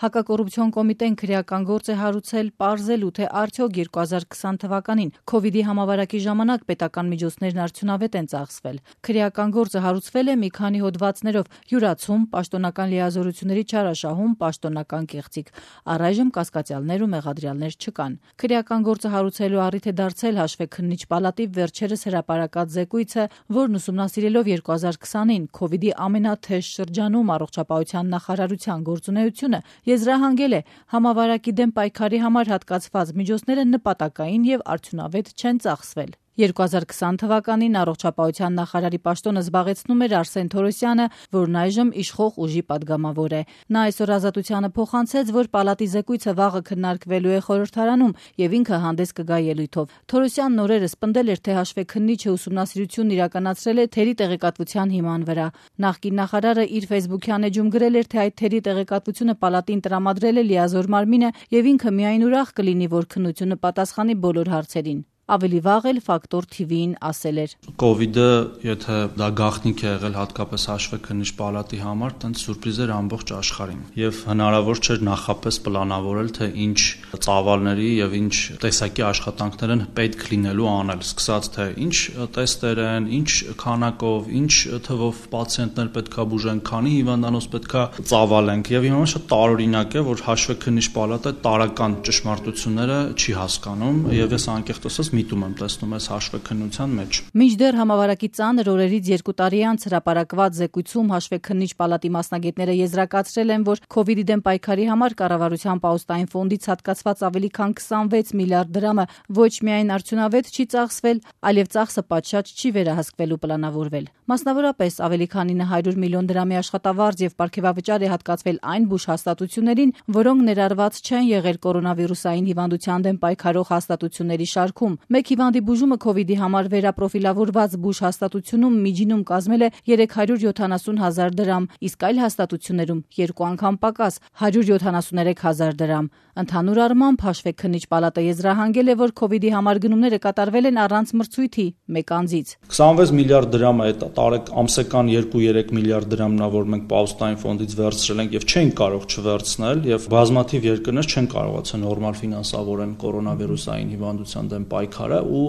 Հակակոռուպցիոն կոմիտեն քրեական գործ է հարուցել պարզելու, թե արդյոք 2020 թվականին COVID-ի համավարակի ժամանակ պետական միջոցներն արդյունավետ են ծախսվել։ Քրեական գործը հարուցվել է մի քանի հոդվածներով՝ յուրացում, պաշտոնական լիազորությունների չարաշահում, պաշտոնական կեղծիք։ Առայժմ կասկածյալներ ու մեղադրյալներ չկան։ Քրեական գործը հարուցելու առիթ է դարձել հաշվեկննիչ պալատի վերջերս հրապարակած զեկույցը, որն ուսումնասիրելով 2020-ին COVID-ի ամենաթեժ շրջանում առողջապահության նախարարության գործունեությունը, եզրահանգել է համավարակի դեմ պայքարի համար հատկացված միջոցները նպատակային եւ արդյունավետ չեն ծախսվել։ 2020 թվականին առողջապահության նախարարի պաշտոնը զբաղեցնում էր Արսեն Թորոսյանը, որն այժմ իշխող ուժի падգամավոր է։ Նա այսօր Ազատությանը փոխանցեց, որ պալատի զեկույցը վաղը քննարկվելու է խորհրդարանում եւ ինքը հանդես կգա ելույթով։ Թորոսյանն օրերս պնդել էր, թե հաշվեկննիչը ուսումնասիրությունն իրականացրել է թերի տեղեկատվության հիման վրա։ Նախկին նախարարը իր ֆեյսբուքյան էջում գրել էր, թե այդ թերի տեղեկատվությունը պալատին տրամադրել է լիազոր մարմինը եւ ինքը միայն ուրախ կլինի, որ քննությունը պատասխանի բոլոր հարցերին։ Ավելի վաղ էլ Ֆակտոր TV-ին ասել էր. Կովիդը, եթե դա գաղտնիք է եղել հատկապես հաշվեկննիչ պալատի համար, տենց սուրպրիզ էր ամբողջ աշխարհին։ Եվ հնարավոր չէր նախապես պլանավորել, թե ինչ ծավալների եւ ինչ տեսակի աշխատանքներ են պետք լինելու անել, սկսած թե ինչ տեստեր են, ինչ քանակով, ինչ թվով պացիենտներ պետքա բուժեն, քանի հիվանդանոց պետքա ծավալենք։ Եվ հիմա շատ տարօրինակ է, որ հաշվեկննիչ պալատը տարական ճշմարտությունները չի հասկանում եւ ես անկեղծ ասած միտում եմ տեսնում այս հաշվեկնության մեջ։ Մինչդեռ համավարակի ծանր օրերից 2 տարի անց հրապարակված զեկույցում հաշվեկննիչ պալատի մասնագետները եզրակացրել են, որ COVID-ի դեմ պայքարի համար կառավարության պաուստային ֆոնդից հատկացված ավելի քան 26 միլիարդ դրամը ոչ միայն արդյունավետ չի ծախսվել, այլև ծախսը պատշաճ չի վերահսկվելու պլանավորվել։ Մասնավորապես ավելի քան 900 միլիոն դրամի աշխատավարձ եւ պարգևավճար է հատկացվել այն բուժ հաստատություններին, որոնք ներառված չեն եղել կորոնավիրուսային հիվանդության դեմ պայքարող հաստատությունների շարքում։ Մեկ հիվանդի բուժումը COVID-ի համար վերապրոֆիլավորված բուժ հաստատությունում միջինում կազմել է 370,000 դրամ, իսկ այլ հաստատություններում 2 անգամ պակաս 173,000 դրամ։ Ընդհանուր առմամբ հաշվեկննիչ պալատը եզրահանգել է, որ COVID-ի համար գնումները կատարվել են առանց մրցույթի մեկ անձից։ 26 միլիարդ դրամը է տարեք ամսական 2-3 միլիարդ դրամն է, որ մենք պաուստային ֆոնդից վերցրել ենք եւ չենք կարող չվերցնել եւ բազմաթիվ երկրներ չեն կարողացել նորմալ ֆինանսավորեն կորոնավիրուսային հիվանդության դեմ պայքարը ու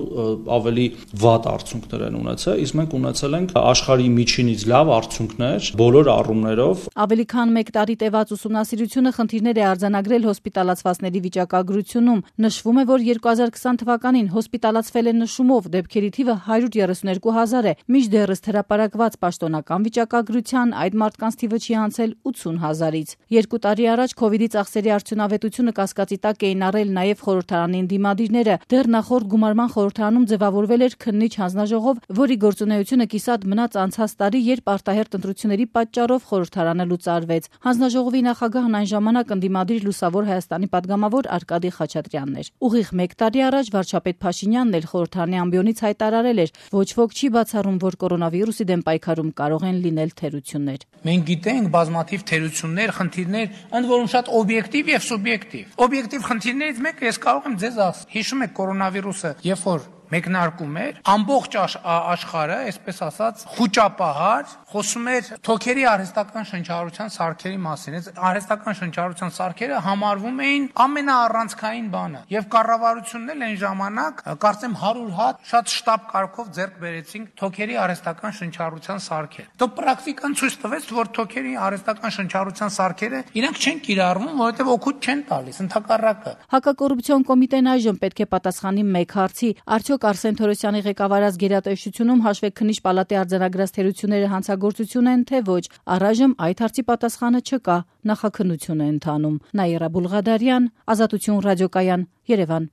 ավելի վատ արդյունքներ են ունեցել, իսկ մենք ունեցել ենք աշխարհի միջինից լավ արդյունքներ բոլոր առումներով։ Ավելի քան 1 տարի տևած ուսումնասիրությունը խնդիրներ է արձանագրել հոսպիտալացվածների վիճակագրությունում։ Նշվում է, որ 2020 թվականին հոսպիտալացվել է նշումով դեպքերի թիվը 132,000 է, մինչդեռ հրապարակված պաշտոնական վիճակագրության այդ մարդկանց թիվը չի անցել 80,000-ից։ 2 տարի առաջ COVID-ի ծախսերի արդյունավետությունը կասկածի տակ էին առել նաև խորհրդարանին դիմադիրները։ Դեռ նախորդ գումարման խորհրդարանում ձևավորվել էր քննիչ հանձնաժողով, որի գործունեությունը կիսատ մնաց անցած տարի, երբ արտահերթ ընտրությունների պատճառով խորհրդարանը լուծարվեց։ Հանձնաժողովի նախագահն այն ժամանակ ընդդիմադիր Լուսավոր Հայաստանի падգամավոր Արկադի Խաչատրյանն էր։ Ուղիղ 1 տարի առաջ վարչապետ Փաշինյանն էլ խորհրդարանի ամբիոնից հայտարարել էր, ոչ ոք չի բացառում, որ կորոնավիրուսի դեմ պայքարում կարող են լինել թերություններ։ Մենք գիտենք բազմաթիվ թերություններ, խնդիրներ, ընդ որում շատ օբյեկտիվ եւ սուբյեկտիվ։ Օբյեկտիվ խնդիրներից մեկը ես կարող եմ ձեզ ասել։ Հիշում եք կորոնավիրուսը, երբ որ մեկնարկում էր, ամբողջ աշխարհը, այսպես ասած, խուճապահար խոսում էր թոքերի արհեստական շնչառության սարքերի մասին։ Այս արհեստական շնչառության սարքերը համարվում էին ամենաառանցքային բանը։ Եվ կառավարությունն էլ այն ժամանակ, կարծեմ 100 հատ շատ շտապ կարգով ձեռք բերեցինք թոքերի արհեստական շնչառության սարքեր։ Դո պրակտիկան ցույց տվեց, որ թոքերի արհեստական շնչառության սարքերը իրանք չեն կիրառվում, որովհետև օգուտ չեն տալիս, ընդհակառակը։ Հակակոռուպցիոն կոմիտեն այժմ պետք է պատասխանի մեկ հարցի. արդյոք Արսեն Թորոսյանի ղեկավարած գերատեսչությունում հաշվեկննիչ պալատի արձանագրած թերությունները հանցագործություն են, թե ոչ։ Առայժմ այդ հարցի պատասխանը չկա, նախաքննություն է ընթանում։ Նաիրա Բուլղադարյան, Ազատություն ռադիոկայան, Երևան։